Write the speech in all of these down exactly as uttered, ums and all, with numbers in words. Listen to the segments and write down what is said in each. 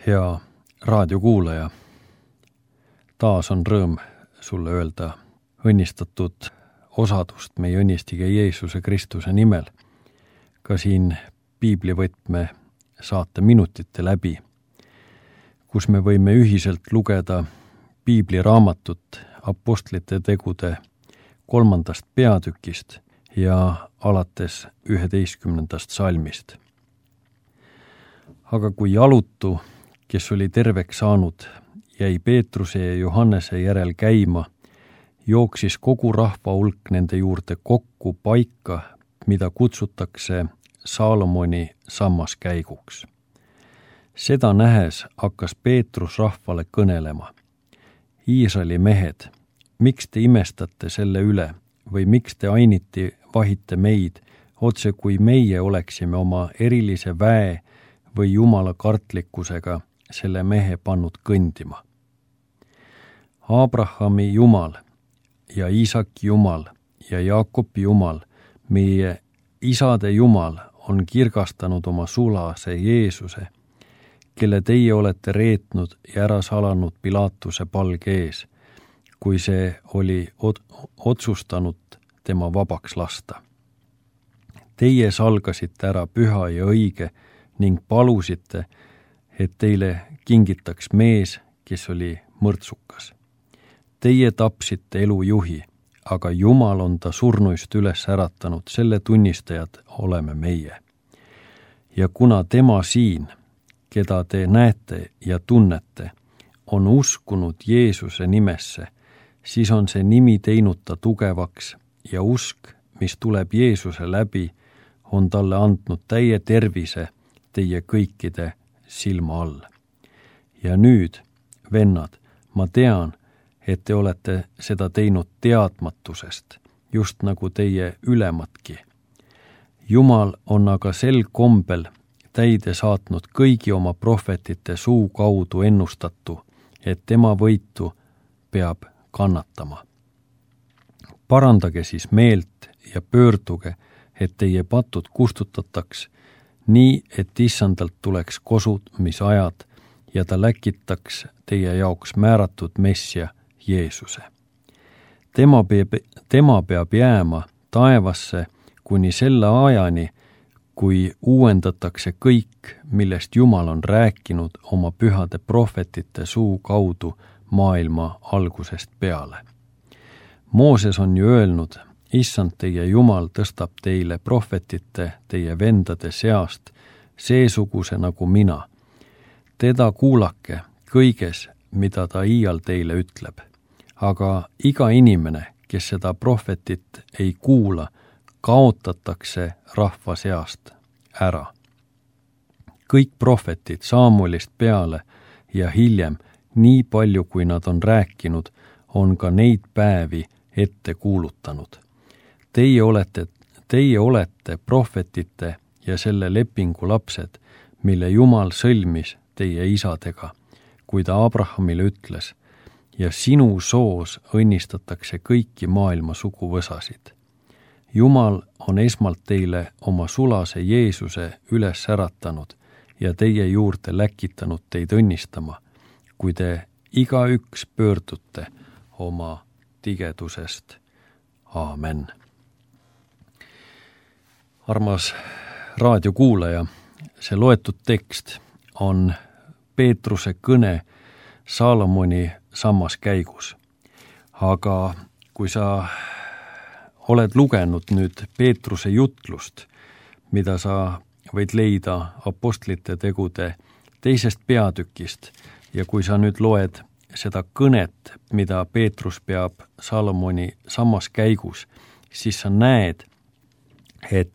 Hea raadiokuulaja, taas on rõõm sulle öelda õnnistatud osadust meie õnnistige Jeesuse Kristuse nimel, ka siin piiblivõtme saate minutite läbi, kus me võime ühiselt lugeda piibliraamatut Apostlite tegude kolmandast peatükist ja alates üheteistkümnendast salmist. Aga kui jalutu, kes oli terveks saanud, jäi Peetruse ja Johannese järel käima, jooksis kogu rahva hulk nende juurde kokku paika, mida kutsutakse Saalomoni sammaskäiguks. Seda nähes hakkas Peetrus rahvale kõnelema. Iisraeli mehed, miks te imestate selle üle või miks te ainiti vahite meid, otse kui meie oleksime oma erilise väe või jumala kartlikkusega selle mehe pannud kõndima? Abrahami Jumal ja Iisaki Jumal ja Jaakobi Jumal, meie isade Jumal, on kirgastanud oma sulase Jeesuse, kelle teie olete reetnud ja ära salanud Pilatuse palge ees, kui see oli otsustanud tema vabaks lasta. Teie salgasite ära püha ja õige ning palusite, et teile kingitaks mees, kes oli mõrtsukas. Teie tapsite elujuhi, aga Jumal on ta surnuist üles äratanud, selle tunnistajad oleme meie. Ja kuna tema siin, keda te näete ja tunnete, on uskunud Jeesuse nimesse, siis on see nimi teinud ta tugevaks ja usk, mis tuleb Jeesuse läbi, on talle andnud täie tervise teie kõikide silma all. Ja nüüd, vennad, ma tean, et te olete seda teinud teadmatusest, just nagu teie ülematki. Jumal on aga sel kombel täide saatnud kõigi oma prohvetite suu kaudu ennustatu, et tema võitu peab kannatama. Parandage siis meelt ja pöörduge, et teie patud kustutataks, nii et issandalt tuleks kosumisajad ja ta läkitaks teie jaoks määratud messia Jeesuse. Tema peab, tema peab jääma taevasse kuni selle ajani, kui uuendatakse kõik, millest Jumal on rääkinud oma pühade prohvetite suu kaudu maailma algusest peale. Mooses on ju öelnud, issand teie Jumal tõstab teile prohvetite teie vendade seast, seesuguse nagu mina. Teda kuulake kõiges, mida ta iial teile ütleb. Aga iga inimene, kes seda prohvetit ei kuula, kaotatakse rahva seast ära. Kõik prohvetid Samuelist peale ja hiljem, nii palju kui nad on rääkinud, on ka neid päevi ette kuulutanud. Teie olete, teie olete prohvetite ja selle lepingu lapsed, mille Jumal sõlmis teie isadega, kui ta Abrahamile ütles, ja sinu soos õnnistatakse kõiki maailma suguvõsasid. Jumal on esmalt teile oma sulase Jeesuse üles äratanud ja teie juurde läkitanud teid õnnistama, kui te igaüks pöördute oma tigedusest. Aamen. Armas raadiokuulaja, see loetud tekst on Peetruse kõne Saalomoni sammaskäigus. Aga kui sa oled lugenud nüüd Peetruse jutlust, mida sa võid leida Apostlite tegude teisest peatükist, ja kui sa nüüd loed seda kõnet, mida Peetrus peab Saalomoni sammaskäigus, siis sa näed, et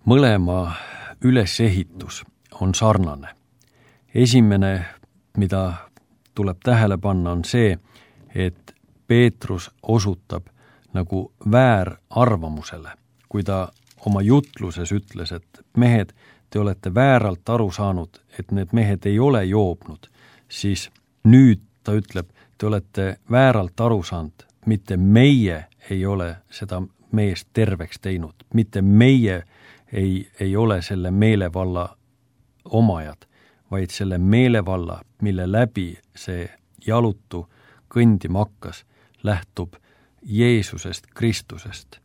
mõlema ülesehitus on sarnane. Esimene, mida tuleb tähele panna, on see, et Peetrus osutab nagu väärarvamusele, kui ta oma jutluses ütles, et mehed, te olete vääralt aru saanud, et need mehed ei ole joobnud, siis nüüd ta ütleb, te olete vääralt aru saanud, mitte meie ei ole seda meest terveks teinud, mitte meie ei, ei ole selle meelevalla omajad, vaid selle meelevalla, mille läbi see jalutu kõndima hakkas, lähtub Jeesusest Kristusest.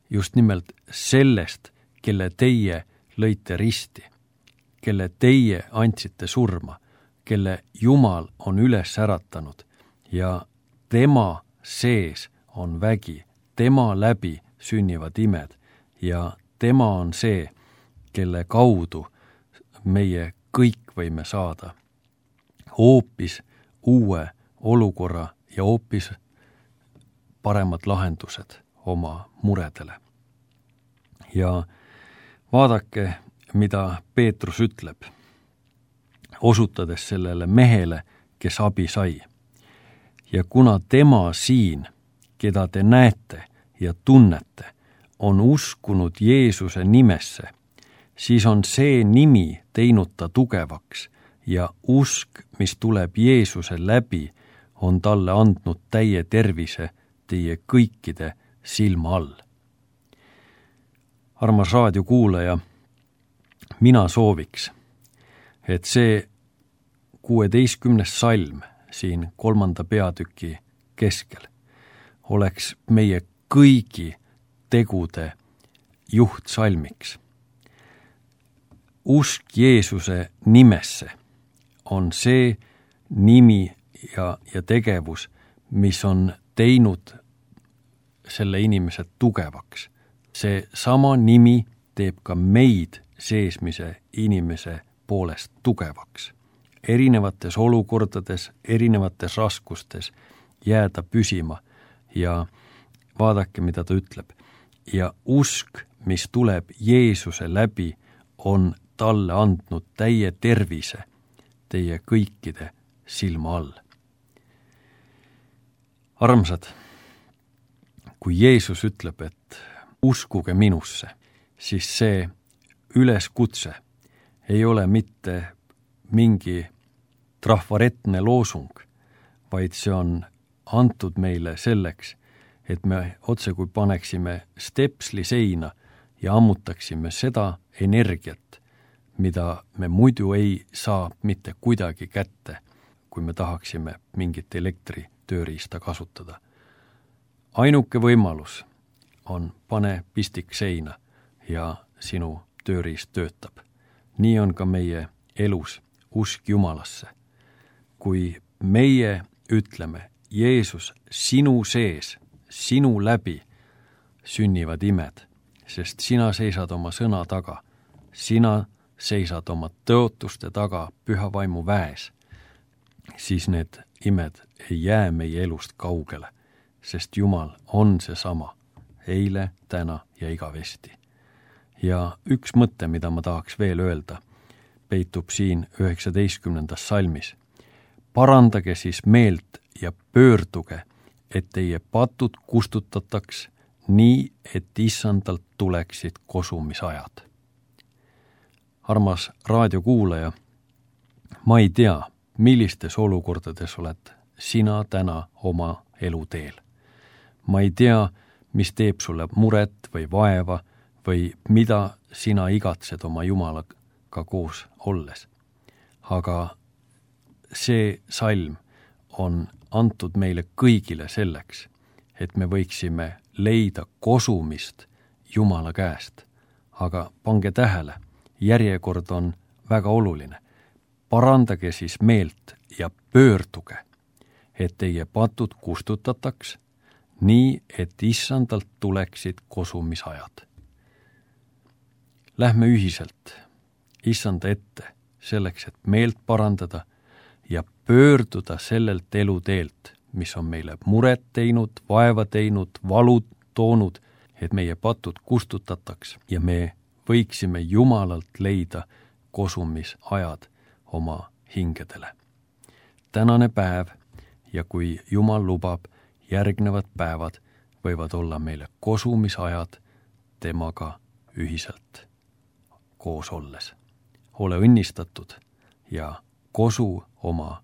Just nimelt sellest, kelle teie lõite risti, kelle teie andsite surma, kelle Jumal on üles äratanud ja tema sees on vägi, tema läbi sünnivad imed ja tema on see, kelle kaudu meie kõik võime saada hoopis uue olukorra ja hoopis paremad lahendused oma muredele. Ja vaadake, mida Peetrus ütleb, osutades sellele mehele, kes abi sai. Ja kuna tema siin, keda te näete ja tunnete, on uskunud Jeesuse nimesse, siis on see nimi teinud ta tugevaks ja usk, mis tuleb Jeesuse läbi, on talle andnud täie tervise teie kõikide silma all. Armas raadiokuulaja, mina sooviks, et see kuueteistkümnes salm siin kolmanda peatüki keskel oleks meie kõigi tegude juhtsalmiks. Usk Jeesuse nimesse on see nimi ja, ja tegevus, mis on teinud selle inimese tugevaks. See sama nimi teeb ka meid seesmise inimese poolest tugevaks. Erinevates olukordades, erinevates raskustes jääda püsima ja vaadake, mida ta ütleb. Ja usk, mis tuleb Jeesuse läbi, on talle andnud täie tervise teie kõikide silma all. Armsad, kui Jeesus ütleb, et uskuge minusse, siis see üleskutse ei ole mitte mingi trahvaretne loosung, vaid see on antud meile selleks, et me otse kui paneksime stepsli seina ja ammutaksime seda energiat, mida me muidu ei saa mitte kuidagi kätte, kui me tahaksime mingit elektritööriista kasutada. Ainuke võimalus on pane pistik seina ja sinu tööriist töötab. Nii on ka meie elus usk Jumalasse. Kui meie ütleme, Jeesus, sinu sees, sinu läbi sünnivad imed, sest sina seisad oma sõna taga, sina seisad oma tõotuste taga püha vaimu väes, siis need imed ei jää meie elust kaugele, sest Jumal on seesama, eile, täna ja igavesti. Ja üks mõte, mida ma tahaks veel öelda, peitub siin üheksateistkümnendas salmis. Parandage siis meelt ja pöörduge, et teie patud kustutataks nii, et issandalt tuleksid kosumisajad. Armas raadiokuulaja, ma ei tea, millistes olukordades oled sina täna oma eluteel. Ma ei tea, mis teeb sulle muret või vaeva või mida sina igatsed oma Jumalaga koos olles. Aga see salm on antud meile kõigile selleks, et me võiksime leida kosumist Jumala käest. Aga pange tähele, järjekord on väga oluline. Parandage siis meelt ja pöörduge, et teie patud kustutataks, nii et issandalt tuleksid kosumisajad. Lähme ühiselt issanda ette selleks, et meelt parandada ja pöörduda sellelt eluteelt, mis on meile muret teinud, vaeva teinud, valu toonud, et meie patud kustutataks ja me võiksime Jumalalt leida kosumisajad oma hingedele. Tänane päev ja kui Jumal lubab, järgnevad päevad võivad olla meile kosumisajad temaga ühiselt koos olles. Ole õnnistatud ja kosu oma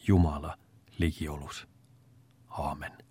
Jumala ligiolus. Aamen.